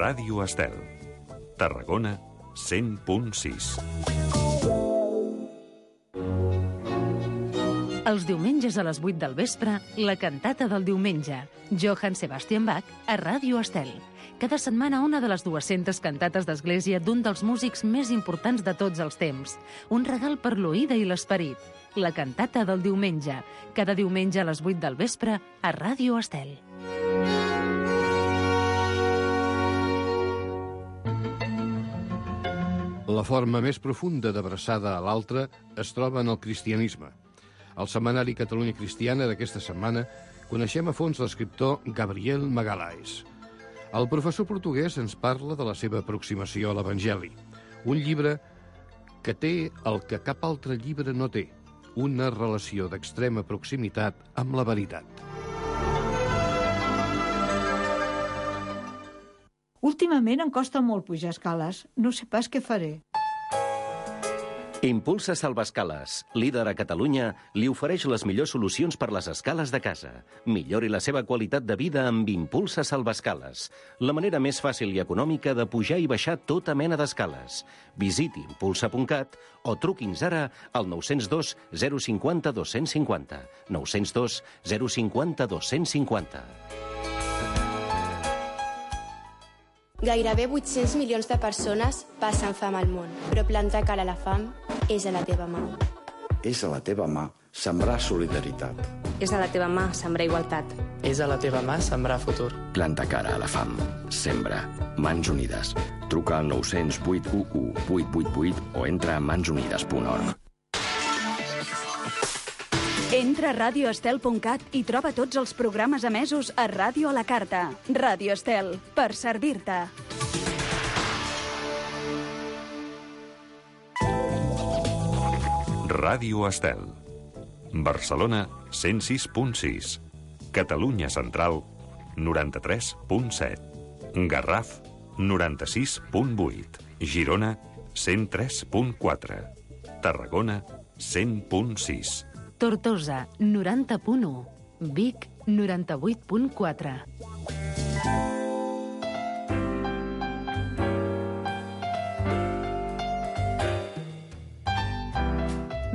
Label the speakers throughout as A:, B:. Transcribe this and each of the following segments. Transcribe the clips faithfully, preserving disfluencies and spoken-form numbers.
A: Ràdio Estel. Tarragona, cent punt sis.
B: Els diumenges a les vuit del vespre, la cantata del diumenge. Johann Sebastian Bach a Ràdio Estel. Cada setmana una de les dues-centes cantates d'església d'un dels músics més importants de tots els temps. Un regal per l'oïda i l'esperit. La cantata del diumenge. Cada diumenge a les vuit del vespre a Ràdio Estel.
C: La forma més profunda d'abraçada a l'altre es troba en el cristianisme. Al setmanari Catalunya Cristiana d'aquesta setmana coneixem a fons l'escriptor Gabriel Magalhães. El professor portuguès ens parla de la seva aproximació a l'Evangeli, un llibre que té el que cap altre llibre no té, una relació d'extrema proximitat amb la veritat.
D: Últimament em costa molt pujar escales. No sé pas què faré.
E: Impulsa Salvaescales, líder a Catalunya, li ofereix les millors solucions per les escales de casa. Millori la seva qualitat de vida amb Impulsa Salvaescales, la manera més fàcil i econòmica de pujar i baixar tota mena d'escales. Visiti impulsa punt cat o truqui'ns ara al nou zero dos zero cinc zero dos cinc zero, nou zero dos zero cinc zero dos cinc zero.
F: Gairebé vuit-cents milions de persones passen fam al món, però plantar cara a la fam és a la teva mà.
G: És a la teva mà sembrar solidaritat.
H: És a la teva mà sembrar igualtat.
I: És a la teva mà sembrar futur.
J: Planta cara a la fam. Sembra. Mans Unides. Truca al nou zero zero vuit u u vuit vuit vuit o entra a mans unides punt org.
K: Entra a ràdio estel punt cat i troba tots els programes emesos a Ràdio a la Carta. Ràdio Estel, per servir-te.
A: Ràdio Estel. Barcelona, cent sis punt sis. Catalunya Central, noranta-tres punt set. Garraf, noranta-sis punt vuit. Girona, cent tres punt quatre. Tarragona, cent punt sis.
B: Tortosa, noranta punt u. Vic, noranta-vuit punt quatre.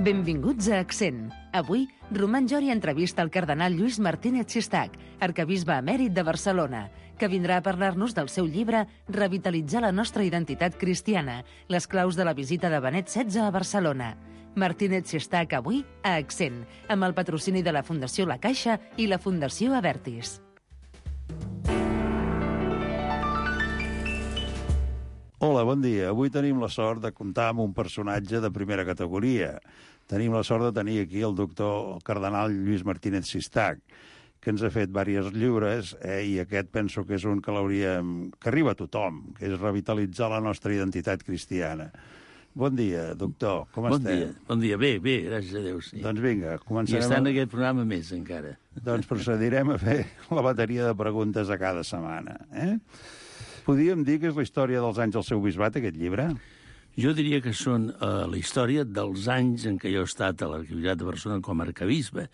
B: Benvinguts a Accent. Avui, Roman Jori entrevista el cardenal Lluís Martínez Sistac, arquebisbe emèrit de Barcelona, que vindrà a parlar-nos del seu llibre Revitalitzar la nostra identitat cristiana, les claus de la visita de Benet setze a Barcelona. Martínez Sistac avui a Accent, amb el patrocini de la Fundació La Caixa i la Fundació Avertis.
L: Hola, bon dia. Avui tenim la sort de comptar amb un personatge de primera categoria. Tenim la sort de tenir aquí el doctor el cardenal Lluís Martínez Sistac, que ens ha fet diversos llibres, eh, i aquest penso que és un que l'hauríem... que arriba a tothom, que és revitalitzar la nostra identitat cristiana. Bon dia, doctor. Com
M: bon
L: estem?
M: Dia. Bon dia. Bé, bé, gràcies a Déu. Sí.
L: Doncs vinga, començarem...
M: I està en aquest programa més, encara.
L: Doncs procedirem a fer la bateria de preguntes a cada setmana. Eh? Podríem dir que és la història dels anys del seu bisbat, aquest llibre?
M: Jo diria que són uh, la història dels anys en què jo he estat a l'Arquebisbat de Barcelona com a arquebisbe,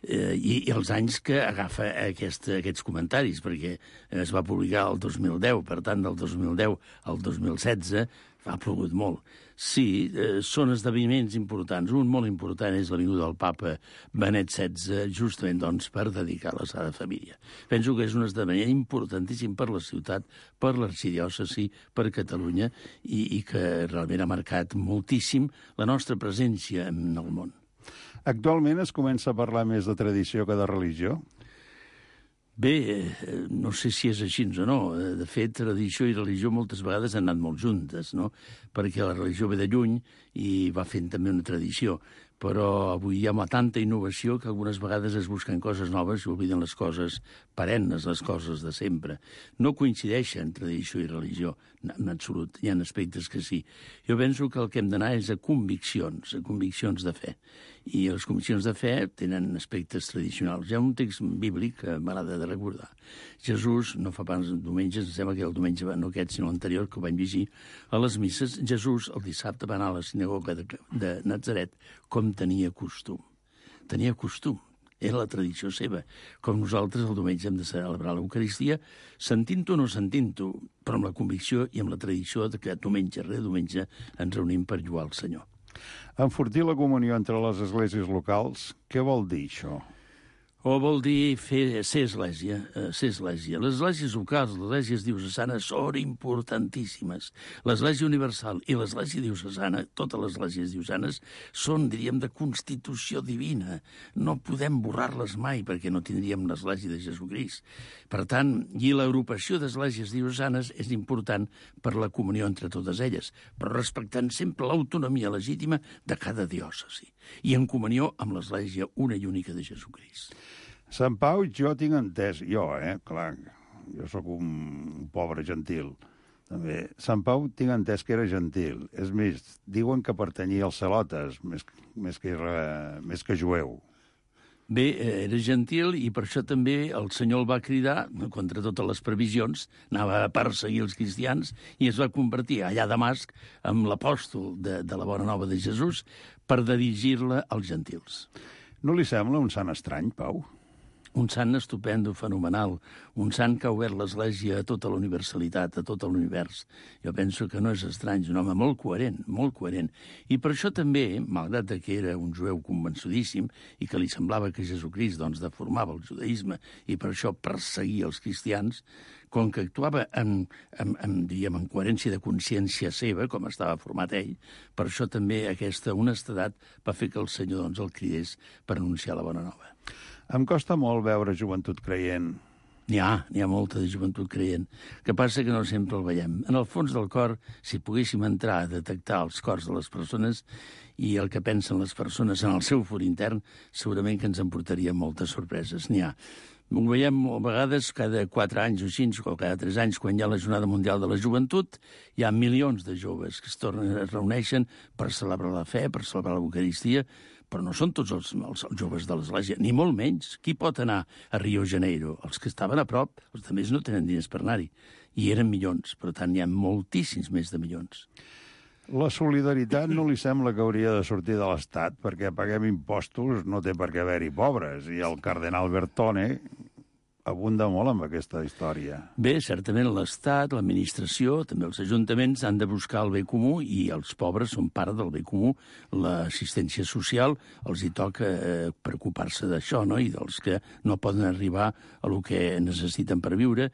M: eh, i, i els anys que agafa aquest, aquests comentaris, perquè es va publicar el dos mil deu, per tant, del dos mil deu al dos mil setze ha plogut molt. Sí, eh, són esdeveniments importants. Un molt important és la vinguda del papa Benet setze, justament doncs, per dedicar la Sagrada Família. Penso que és un esdeveniment importantíssim per la ciutat, per l'arxidiòcesi, per Catalunya, i, i que realment ha marcat moltíssim la nostra presència en el món.
L: Actualment es comença a parlar més de tradició que de religió?
M: Bé, no sé si és així o no. De fet, tradició i religió moltes vegades han anat molt juntes, no? Perquè la religió ve de lluny i va fent també una tradició. Però avui hi ha tanta innovació que algunes vegades es busquen coses noves i obliden les coses perennes, les coses de sempre. No coincideixen tradició i religió, en absolut. Hi ha aspectes que sí. Jo penso que el que hem d'anar és a conviccions, a conviccions de fe. I les conviccions de fe tenen aspectes tradicionals. Hi ha un text bíblic que m'agrada de recordar. Jesús, no fa pas diumenges, em sembla que el diumenge, no aquest, sinó l'anterior, que ho vam llegir, a les misses, Jesús el dissabte va anar a la sinagoga de, de Natzaret com tenia costum. Tenia costum. Era la tradició seva. Com nosaltres el diumenge hem de celebrar l'Eucaristia, sentint-ho o no sentint-ho, però amb la convicció i amb la tradició de que diumenge rere diumenge ens reunim per lloar el Senyor.
L: Enfortir la comunió entre les esglésies locals, què vol dir això?
M: O vol dir fer, ser església, eh, ser església. Les esglésies locals, les esglésies diocesanes, són importantíssimes. L'església universal i l'església diocesana, totes les esglésies diocesanes, són, diríem, de constitució divina. No podem borrar-les mai perquè no tindríem l'església de Jesucrist. Per tant, i l'agrupació d'esglésies diocesanes és important per la comunió entre totes elles, però respectant sempre l'autonomia legítima de cada diòcesi i en comunió amb l'església una i única de Jesucrist.
L: Sant Pau, jo tinc entès, jo, eh, clar, jo sóc un pobre gentil, també. Sant Pau tinc entès que era gentil. És més, diuen que pertanyia als celotes, més, més, que, era, més que jueu.
M: Bé, era gentil i per això també el Senyor el va cridar, contra totes les previsions, anava a perseguir els cristians i es va convertir allà a Damasc en l'apòstol de, de la Bona Nova de Jesús per dirigir-la als gentils.
L: No li sembla un sant estrany, Pau?
M: Un sant estupendo, fenomenal, un sant que ha obert l'Església a tota la universalitat, a tot l'univers. Jo penso que no és estrany, és un home molt coherent, molt coherent. I per això també, malgrat que era un jueu convençudíssim i que li semblava que Jesucrist doncs, deformava el judaïsme i per això perseguia els cristians, com que actuava en, en, en, diríem, en coherència de consciència seva, com estava format ell, per això també aquesta honestedat va fer que el Senyor doncs, el cridés per anunciar la bona nova.
L: Em costa molt veure joventut creient.
M: N'hi ha, n'hi ha molta de joventut creient. El que passa que no sempre el veiem. En el fons del cor, si poguéssim entrar a detectar els cors de les persones i el que pensen les persones en el seu for intern, segurament que ens emportaria moltes sorpreses. N'hi ha. Ho veiem a vegades cada quatre anys o cinc, o cada tres anys, quan hi ha la Jornada Mundial de la Joventut, hi ha milions de joves que es tornen, es reuneixen per celebrar la fe, per celebrar l'Eucaristia, però no són tots els, els, els joves de l'Església, ni molt menys. Qui pot anar a Rio Janeiro? Els que estaven a prop, els altres no tenen diners per anar-hi. I eren milions, per tant, hi ha moltíssims més de milions.
L: La solidaritat no li sembla que hauria de sortir de l'Estat, perquè paguem impostos, no té per què haver-hi pobres, i el cardenal Bertone abunda molt amb aquesta història.
M: Bé, certament l'Estat, l'administració, també els ajuntaments han de buscar el bé comú i els pobres són part del bé comú. L'assistència social els hi toca eh, preocupar-se d'això, no? I dels que no poden arribar a lo que necessiten per viure.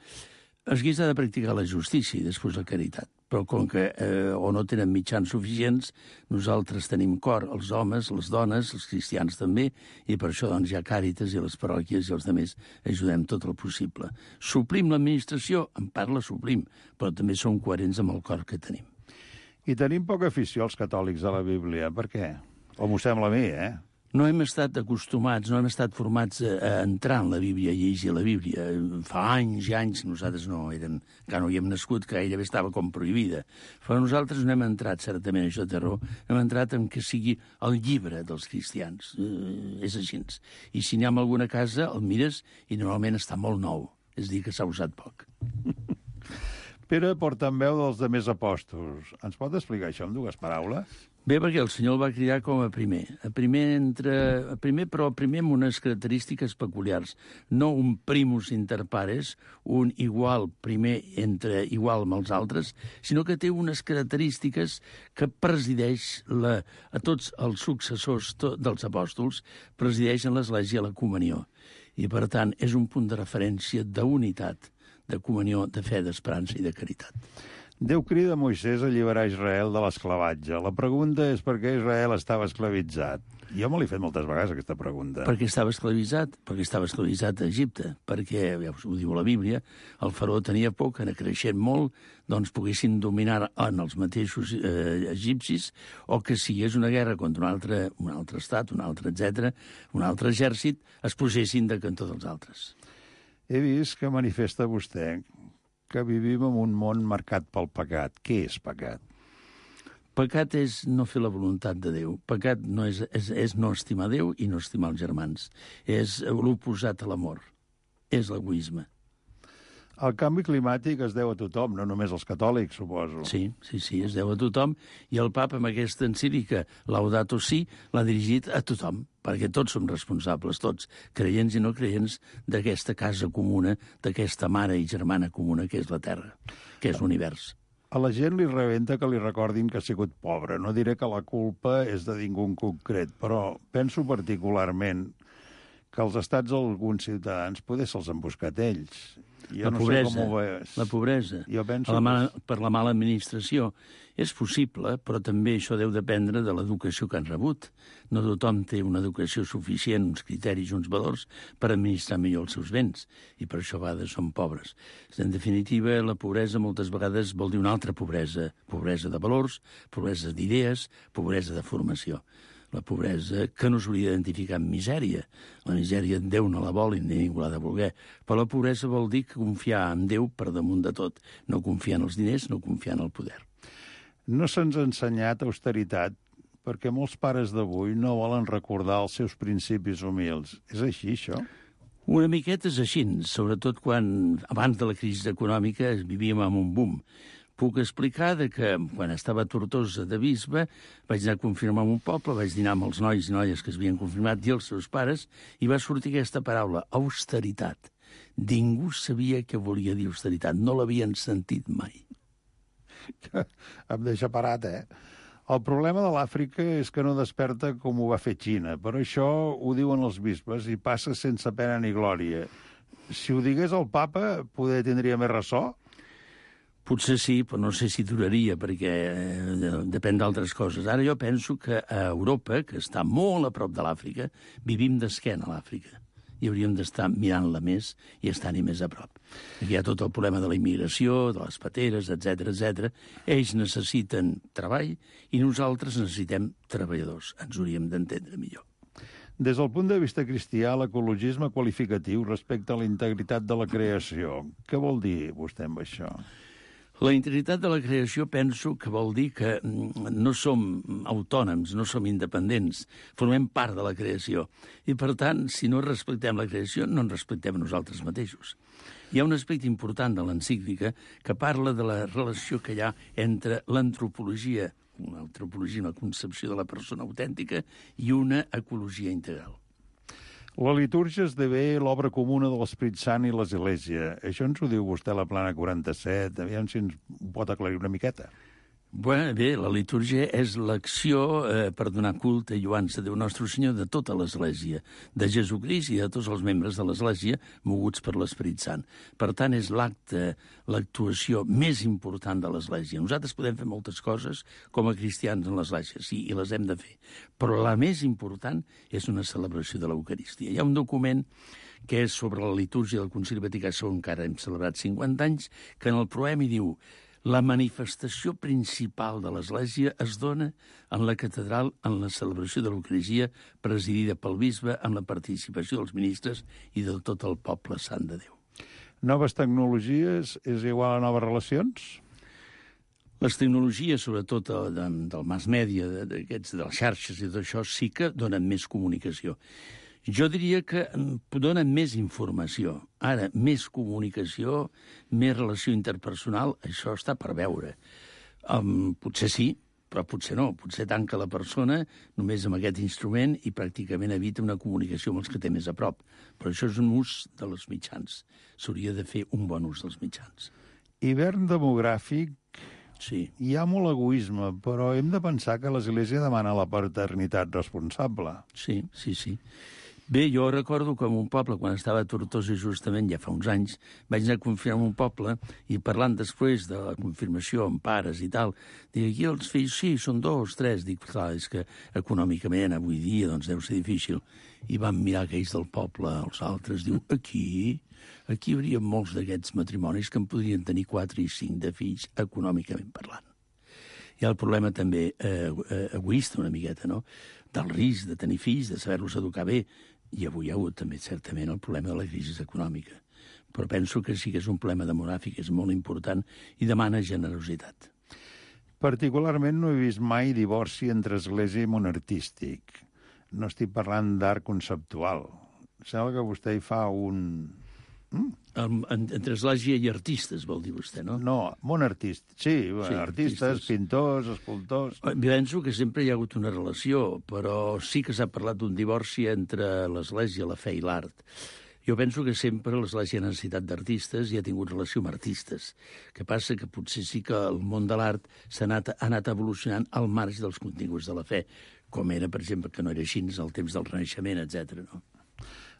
M: Es guisa de practicar la justícia i després la caritat. Però com que eh, o no tenen mitjans suficients, nosaltres tenim cor, els homes, les dones, els cristians també, i per això doncs, hi ha càritas i les parròquies i els altres ajudem tot el possible. Suplim l'administració? En part la suplim, però també som coherents amb el cor que tenim.
L: I tenim poca afició als catòlics a la Bíblia. Per què? O m'ho sembla a mi, eh?
M: No hem estat acostumats, no hem estat formats a, a entrar en la Bíblia, a llegir la Bíblia. Fa anys i anys nosaltres no érem, que no hi hem nascut, que gairebé estava com prohibida. Però nosaltres no hem entrat, certament, a això de terror, hem entrat en que sigui el llibre dels cristians. Eh, és així. I si n'hi ha en alguna casa, el mires i normalment està molt nou. És a dir, que s'ha usat poc.
L: Pere, portaveu dels demés apòstols. Ens pot explicar això en dues paraules?
M: Bé, perquè el Senyor el va cridar com a primer. A primer, entre, a primer però primer amb unes característiques peculiars. No un primus inter pares, un igual primer entre igual amb els altres, sinó que té unes característiques que presideix la, a tots els successors to, dels apòstols, presideixen l'Església a la comunió. I, per tant, és un punt de referència d'unitat, de comunió, de fe, d'esperança i de caritat.
L: Déu crida Moisès a alliberar Israel de l'esclavatge. La pregunta és per què Israel estava esclavitzat. Jo me l'he fet moltes vegades, aquesta pregunta.
M: Perquè estava esclavitzat, perquè estava esclavitzat a Egipte, perquè, ja ho diu la Bíblia, el faraó tenia por que, creixent molt, doncs poguessin dominar en els mateixos eh, egipcis, o que si és una guerra contra un altre, un altre estat, un altre etcètera, un altre exèrcit, es posessin de cantó dels altres.
L: He vist que manifesta vostè que vivim en un món marcat pel pecat. Què és pecat?
M: Pecat és no fer la voluntat de Déu. Pecat no és, és, és no estimar Déu i no estimar els germans. És l'oposat a l'amor. És l'egoisme.
L: El canvi climàtic es deu a tothom, no només als catòlics, suposo.
M: Sí, sí, sí, es deu a tothom, i el papa, amb aquesta encíclica Laudato Si, l'ha dirigit a tothom, perquè tots som responsables, tots, creients i no creients, d'aquesta casa comuna, d'aquesta mare i germana comuna que és la Terra, que és l'univers.
L: A la gent li rebenta que li recordin que ha sigut pobre. No diré que la culpa és de ningú en concret, però penso particularment que els estats d'alguns ciutadans poder se'ls han buscat ells. Jo
M: la
L: no
M: pobresa,
L: sé com ho veus.
M: la pobresa,
L: jo penso
M: la mala,
L: que...
M: per la mala administració. És possible, però també això deu dependre de l'educació que han rebut. No tothom té una educació suficient, uns criteris, uns valors, per administrar millor els seus béns, i per això a vegades són pobres. En definitiva, la pobresa moltes vegades vol dir una altra pobresa, pobresa de valors, pobresa d'idees, pobresa de formació. La pobresa que no s'hauria d'identificar amb misèria. La misèria Déu no la vol i ningú l'ha de voler. Però la pobresa vol dir que confiar en Déu per damunt de tot. No confiar en els diners, no confiar en el poder.
L: No se'ns ha ensenyat austeritat perquè molts pares d'avui no volen recordar els seus principis humils. És així, això?
M: Una miqueta és així, sobretot quan, abans de la crisi econòmica, vivíem amb un boom. Puc explicar de que quan estava a Tortosa de bisbe vaig anar a confirmar en un poble, vaig dinar amb els nois i noies que s'havien confirmat i els seus pares, i va sortir aquesta paraula, austeritat. Ningú sabia què volia dir austeritat, no l'havien sentit mai.
L: Em deixa parat, eh? El problema de l'Àfrica és que no desperta com ho va fer Xina, però això ho diuen els bisbes i passa sense pena ni glòria. Si ho digués el papa, poder tindria més ressò?
M: Potser sí, però no sé si duraria, perquè eh, depèn d'altres coses. Ara jo penso que a Europa, que està molt a prop de l'Àfrica, vivim d'esquena a l'Àfrica. I hauríem d'estar mirant-la més i estar-hi més a prop. Aquí hi ha tot el problema de la immigració, de les pateres, etcètera, etcètera. Ells necessiten treball i nosaltres necessitem treballadors. Ens hauríem d'entendre millor.
L: Des del punt de vista cristià, l'ecologisme qualificatiu respecte a la integritat de la creació. Què vol dir vostè amb això?
M: La integritat de la creació penso que vol dir que no som autònoms, no som independents, formem part de la creació. I, per tant, si no respectem la creació, no ens respectem a nosaltres mateixos. Hi ha un aspecte important de l'encíclica que parla de la relació que hi ha entre l'antropologia, una antropologia, una concepció de la persona autèntica, i una ecologia integral.
L: La litúrgia esdevé l'obra comuna de l'Esperit Sant i l'Església. Això ens ho diu vostè a la plana quaranta-set. Aviam si ens pot aclarir una miqueta.
M: Bé, bé, la litúrgia és l'acció eh, per donar culte i lluança a Déu Nostre Senyor de tota l'Església, de Jesucrist i de tots els membres de l'Església moguts per l'Esperit Sant. Per tant, és l'acte, l'actuació més important de l'Església. Nosaltres podem fer moltes coses com a cristians en l'Església, sí, i les hem de fer. Però la més important és una celebració de l'Eucaristia. Hi ha un document que és sobre la litúrgia del Concili Vaticà segon, que ara hem celebrat cinquanta anys, que en el proemi diu: la manifestació principal de l'Església es dona en la catedral en la celebració de l'Eucaristia presidida pel bisbe amb la participació dels ministres i de tot el poble sant de Déu.
L: Noves tecnologies és igual a noves relacions?
M: Les tecnologies, sobretot del mass media, d'aquests, de les xarxes i d'això, sí que donen més comunicació. Jo diria que donen més informació. Ara, més comunicació, més relació interpersonal, això està per veure. Um, potser sí, però potser no. Potser tanca la persona només amb aquest instrument i pràcticament evita una comunicació amb els que té més a prop. Però això és un ús dels mitjans. S'hauria de fer un bon ús dels mitjans.
L: Hivern demogràfic.
M: Sí.
L: Hi ha molt egoisme, però hem de pensar que l'Església demana la paternitat responsable.
M: Sí, sí, sí. Bé, jo recordo que en un poble, quan estava a Tortosa justament, ja fa uns anys, vaig anar a confirmar un poble i parlant després de la confirmació amb pares i tal, dic, aquí els fills, sí, són dos, tres. Dic, clar, és que econòmicament avui dia doncs deu ser difícil. I vam mirar aquells del poble, els altres, diu, aquí, aquí hi hauria molts d'aquests matrimonis que en podrien tenir quatre i cinc de fills econòmicament parlant. Hi ha el problema també eh, egoista una miqueta, no?, del risc de tenir fills, de saber-los educar bé. I avui hi ha hagut també, certament, el problema de la crisi econòmica. Però penso que sí que és un problema demogràfic, és molt important i demana generositat.
L: Particularment no he vist mai divorci entre església i món artístic. No estic parlant d'art conceptual. Sembla que vostè hi fa un... Mm?
M: En, entre església i artistes, vol dir vostè, no?
L: No, món artist. Sí, bueno,
M: Sí,
L: artistes,
M: artistes.
L: pintors, escultors...
M: Penso que sempre hi ha hagut una relació, però sí que s'ha parlat d'un divorci entre l'església, la fe i l'art. Jo penso que sempre l'església ha necessitat d'artistes i ha tingut relació amb artistes. El que passa que potser sí que el món de l'art s'ha anat, ha anat evolucionant al marge dels continguts de la fe, com era, per exemple, que no era així al temps del Renaixement, etcètera. No?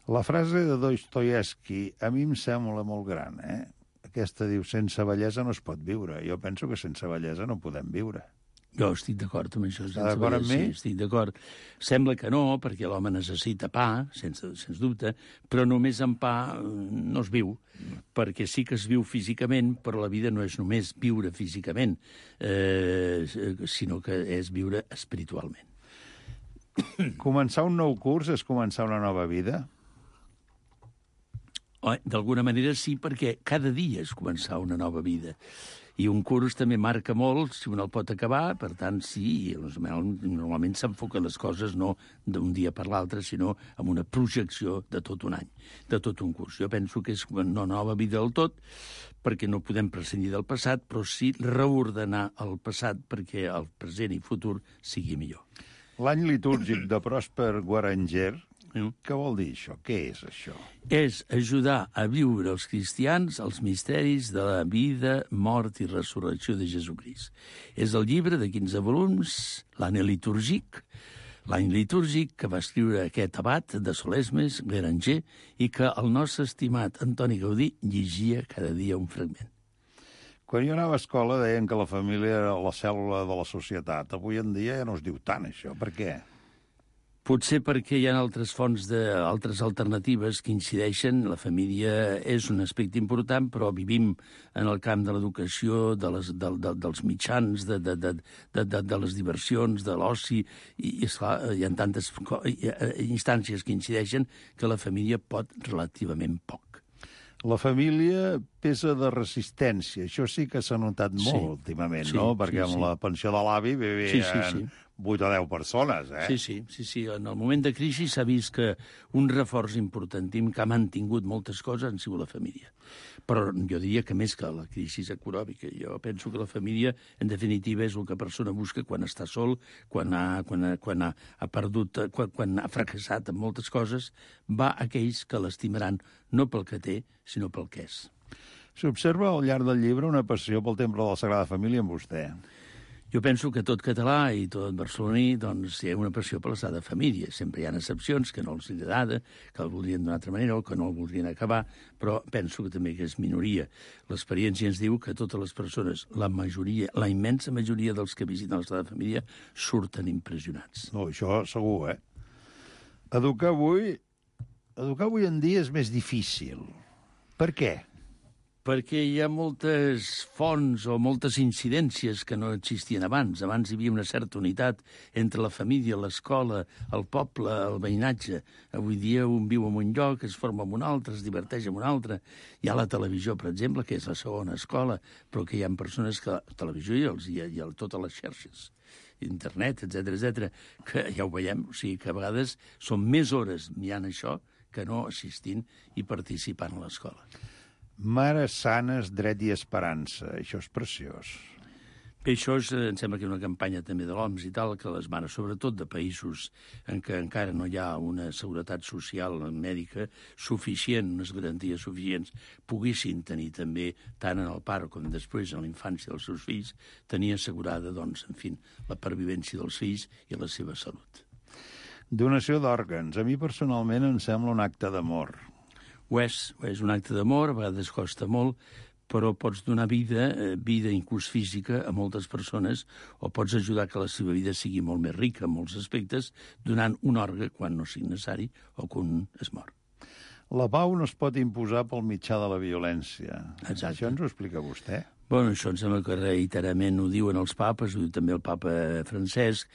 L: La frase de Dostoievski a mi em sembla molt gran, eh? Aquesta diu, sense bellesa no es pot viure. Jo penso que sense bellesa no podem viure.
M: Jo estic d'acord amb això.
L: Està d'acord amb mi?
M: Sí, estic d'acord. Sembla que no, perquè l'home necessita pa, sense, sens dubte, però només amb pa no es viu, perquè sí que es viu físicament, però la vida no és només viure físicament, eh, sinó que és viure espiritualment.
L: Començar un nou curs és començar una nova vida?
M: D'alguna manera sí, perquè cada dia és començar una nova vida. I un curs també marca molt si un el pot acabar, per tant, sí, normalment s'enfoquen les coses no d'un dia per l'altre, sinó amb una projecció de tot un any, de tot un curs. Jo penso que és una nova vida del tot, perquè no podem prescindir del passat, però sí reordenar el passat perquè el present i futur sigui millor.
L: L'any litúrgic de Pròsper Guaranger, què vol dir això? Què és això?
M: És ajudar a viure els cristians els misteris de la vida, mort i resurrecció de Jesucrist. És el llibre de quinze volums, l'any litúrgic, l'any litúrgic que va escriure aquest abat de Solesmes, Guaranger, i que el nostre estimat Antoni Gaudí llegia cada dia un fragment.
L: Quan jo anava a escola deien que la família era la cèl·lula de la societat. Avui en dia ja no es diu tant, això. Per què?
M: Potser perquè hi ha altres fonts, de, altres alternatives que incideixen. La família és un aspecte important, però vivim en el camp de l'educació, de les, de, de, dels mitjans, de, de, de, de, de, de les diversions, de l'oci, i, i esclar, hi ha tantes instàncies que incideixen que la família pot relativament poc.
L: La família pesa de resistència. Això sí que s'ha notat molt
M: sí.
L: últimament,
M: sí,
L: no? Perquè
M: sí,
L: amb
M: sí.
L: la pensió de l'avi vivien
M: sí, sí, sí.
L: vuit o deu persones, eh?
M: Sí, sí, sí, sí. En el moment de crisi s'ha vist que un reforç importantíssim que ha mantingut moltes coses han sigut la família. Però jo diria que més que la crisi econòmica. Jo penso que la família, en definitiva, és el que la persona busca quan està sol, quan ha, quan ha, quan ha, ha perdut, quan, quan ha fracassat en moltes coses, va a aquells que l'estimaran no pel que té, sinó pel que és.
L: S'observa al llarg del llibre una passió pel Temple de la Sagrada Família en vostè.
M: Jo penso que tot català i tot barceloní doncs, hi ha una passió per la Sagrada Família. Sempre hi ha excepcions que no els agrada, que el voldrien d'una altra manera o que no el voldrien acabar, però penso que també que és minoria. L'experiència ens diu que totes les persones, la majoria, la immensa majoria dels que visiten la Sagrada Família surten impressionats.
L: No, això segur, eh? Educar avui, educar avui en dia és més difícil. Per què?
M: Perquè hi ha moltes fonts o moltes incidències que no existien abans. Abans hi havia una certa unitat entre la família, l'escola, el poble, el veïnatge. Avui dia un viu en un lloc, es forma en un altre, es diverteix en un altre. Hi ha la televisió, per exemple, que és la segona escola, però que hi ha persones que... La televisió i, els, i, i totes les xarxes, internet, etcètera, etcètera, que ja ho veiem, o sigui que a vegades són més hores mirant això que no assistint i participant a l'escola.
L: Mares sanes, dret i esperança. Això és preciós.
M: Bé, això és, em sembla que és una campanya també de l'O M S i tal, que les mares, sobretot de països en què encara no hi ha una seguretat social mèdica suficient, unes garanties suficients, poguessin tenir també, tant en el pare com després en la infància dels seus fills, tenir assegurada, doncs, en fi, la pervivència dels fills i la seva salut.
L: Donació d'òrgans. A mi personalment em sembla un acte d'amor.
M: Ho és, és un acte d'amor, a vegades costa molt, però pots donar vida, vida inclús física, a moltes persones, o pots ajudar que la seva vida sigui molt més rica en molts aspectes, donant un òrgan quan no sigui necessari o quan es mor.
L: La pau no es pot imposar pel mitjà de la violència.
M: Exacte.
L: Això ens ho explica vostè?
M: Bueno, això em sembla que reiteradament ho diuen els papes, ho diu també el papa Francesc,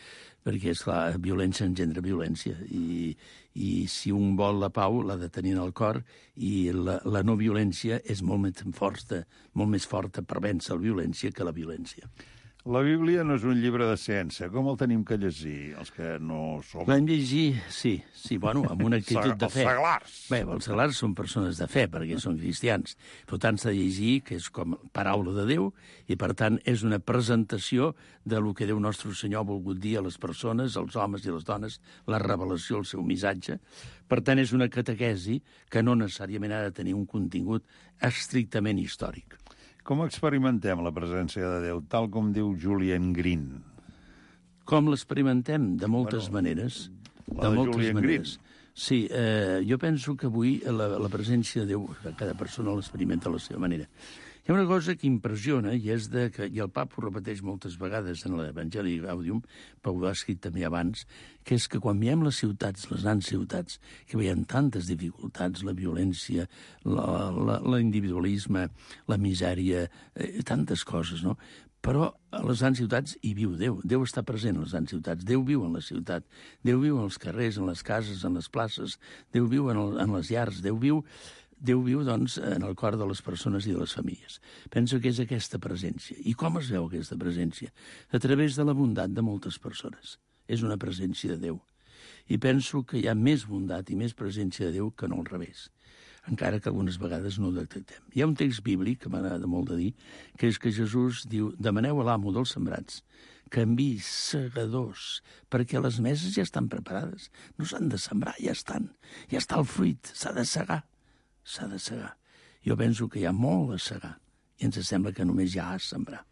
M: perquè, esclar, violència engendra violència, i, i si un vol la pau l'ha de tenir en el cor, i la, la no violència és molt més forta, molt més forta per vèncer la violència que la violència.
L: La Bíblia no és un llibre de ciència. Com el tenim que llegir, els que no som...
M: L'hem llegir, sí, sí, bueno, amb una actitud de fe.
L: Els seglars.
M: Bé, els seglars són persones de fe, perquè són cristians. Per tant, s'ha de llegir, que és com paraula de Déu, i per tant és una presentació de lo que Déu nostre Senyor ha volgut dir a les persones, als homes i les dones, la revelació, el seu missatge. Per tant, és una catequesi que no necessàriament ha de tenir un contingut estrictament històric.
L: Com experimentem la presència de Déu, tal com diu Julian Green?
M: Com l'experimentem? De moltes bueno, maneres.
L: La
M: de,
L: de
M: moltes
L: Julian
M: maneres.
L: Green.
M: Sí, eh, jo penso que avui la, la presència de Déu, cada persona l'experimenta a la seva manera. Hi ha una cosa que impressiona, i és de que, i el Papa ho repeteix moltes vegades en l'Evangeli Gaudium, però ho ha escrit també abans, que és que quan veiem les ciutats, les grans ciutats, que veiem tantes dificultats, la violència, l'individualisme, la misèria, eh, tantes coses, no? Però a les grans ciutats hi viu Déu. Déu està present a les grans ciutats. Déu viu en la ciutat. Déu viu en els carrers, en les cases, en les places. Déu viu en, el, en les llars. Déu viu... Déu viu, doncs, en el cor de les persones i de les famílies. Penso que és aquesta presència. I com es veu aquesta presència? A través de la bondat de moltes persones. És una presència de Déu. I penso que hi ha més bondat i més presència de Déu que no al revés, encara que algunes vegades no ho detectem. Hi ha un text bíblic, que m'agrada molt de dir, que és que Jesús diu: demaneu a l'amo dels sembrats que enviï segadors, perquè les meses ja estan preparades. No s'han de sembrar, ja estan. Ja està el fruit, s'ha de segar. S'ha de segar. Jo penso que hi ha molt a segar i ens sembla que només hi ha a sembrar.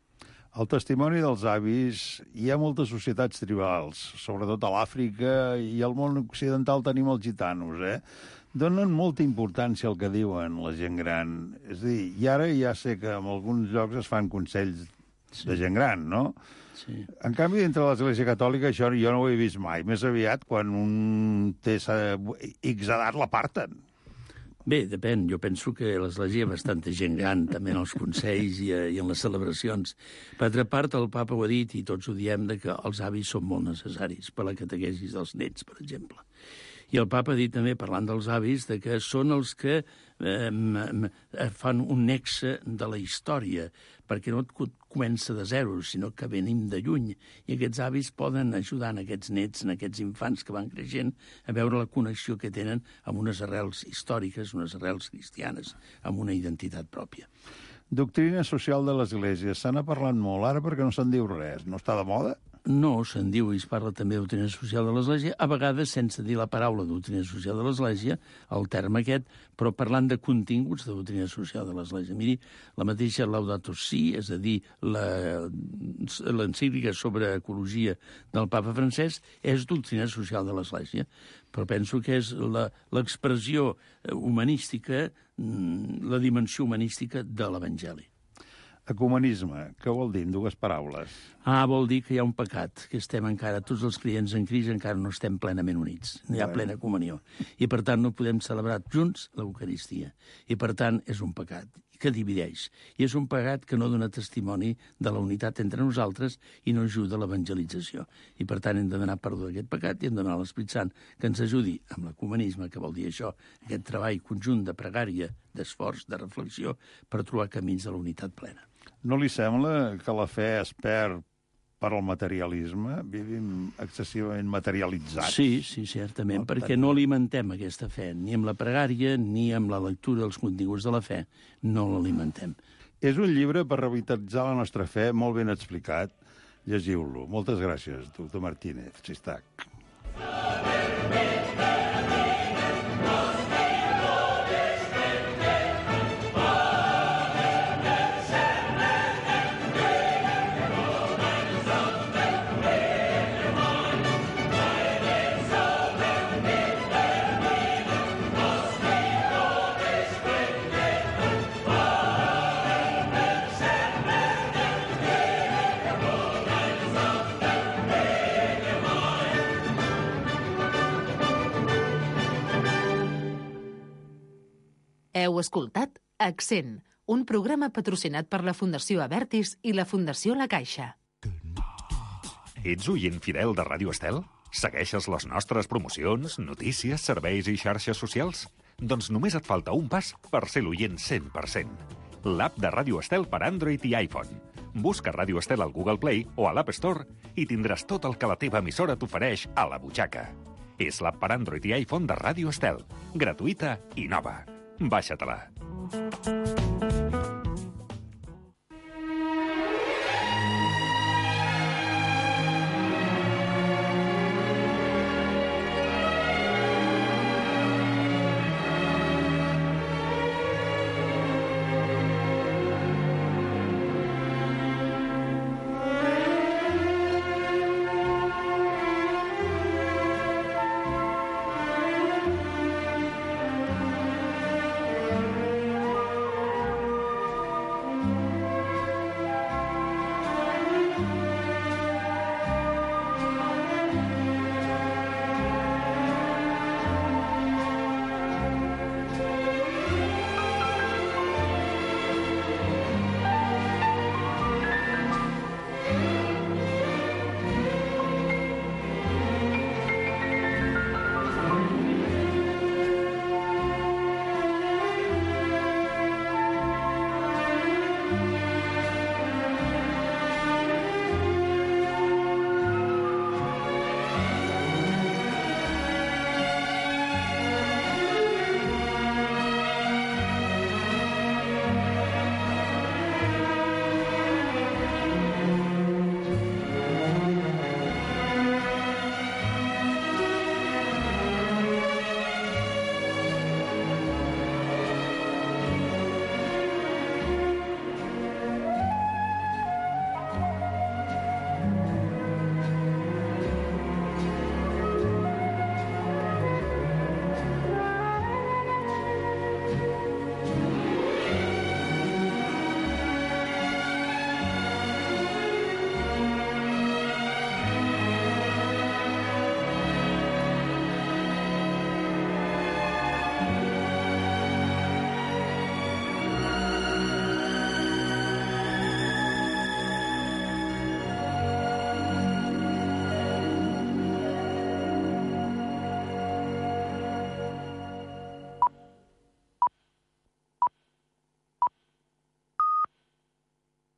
L: El testimoni dels avis, hi ha moltes societats tribals, sobretot a l'Àfrica i al món occidental tenim els gitanos, eh? Donen molta importància al que diuen la gent gran. És a dir, i ara ja sé que en alguns llocs es fan consells sí. de gent gran, no?
M: Sí.
L: En canvi, dintre de l'Església Catòlica això jo no ho he vist mai. Més aviat, quan un té X edat, l'aparten.
M: Bé, depèn. Jo penso que a l'Església hi ha bastanta gent gran, també en els consells i, i en les celebracions. Per altra part, el Papa ho ha dit, i tots ho diem, de que els avis són molt necessaris per a la catequesis dels nets, per exemple. I el Papa ha dit també, parlant dels avis, de que són els que eh, fan un nexe de la història, perquè no comença de zero, sinó que venim de lluny. I aquests avis poden ajudar en aquests nets, en aquests infants que van creixent, a veure la connexió que tenen amb unes arrels històriques, unes arrels cristianes, amb una identitat pròpia.
L: Doctrina social de l'Església. Se n'ha parlat molt ara perquè no se'n diu res. No està de moda?
M: No, se'n diu i es parla també de doctrina social de l'Església, a vegades sense dir la paraula doctrina social de l'Església, el terme aquest, però parlant de continguts de doctrina social de l'Església. Miri, la mateixa Laudato Si, és a dir, l'encíclica sobre ecologia del Papa Francesc, és doctrina social de l'Església, però penso que és l'expressió humanística, la dimensió humanística de l'Evangeli.
L: Ecumenisme, què vol dir en dues paraules?
M: Ah, vol dir que hi ha un pecat, que estem encara, tots els clients en crisi encara no estem plenament units, no hi ha plena comunió. I per tant no podem celebrar junts l'Eucaristia. I per tant és un pecat que divideix. I és un pecat que no dona testimoni de la unitat entre nosaltres i no ajuda a l'evangelització. I per tant hem de demanar perdó d'aquest pecat i hem de demanar a l'Esperit Sant que ens ajudi amb l'ecumenisme, que vol dir això, aquest treball conjunt de pregària, d'esforç, de reflexió, per trobar camins de la unitat plena.
L: No li sembla que la fe es perd per al materialisme? Vivim excessivament materialitzats.
M: Sí, sí, certament, no, perquè no alimentem aquesta fe, ni amb la pregària, ni amb la lectura dels continguts de la fe, no l'alimentem.
L: És un llibre per revitalitzar la nostra fe, molt ben explicat. Llegiu-lo. Moltes gràcies, doctor Martínez Xistac.
B: Heu escoltat Accent, un programa patrocinat per la Fundació Abertis i la Fundació La Caixa.
A: Ets oient fidel de Ràdio Estel? Segueixes les nostres promocions, notícies, serveis i xarxes socials? Doncs només et falta un pas per ser l'oient cent per cent. L'app de Ràdio Estel per Android i iPhone. Busca Ràdio Estel al Google Play o a l'App Store i tindràs tot el que la teva emissora t'ofereix a la butxaca. És l'app per Android i iPhone de Ràdio Estel. Gratuïta i nova. Baixa-te-la.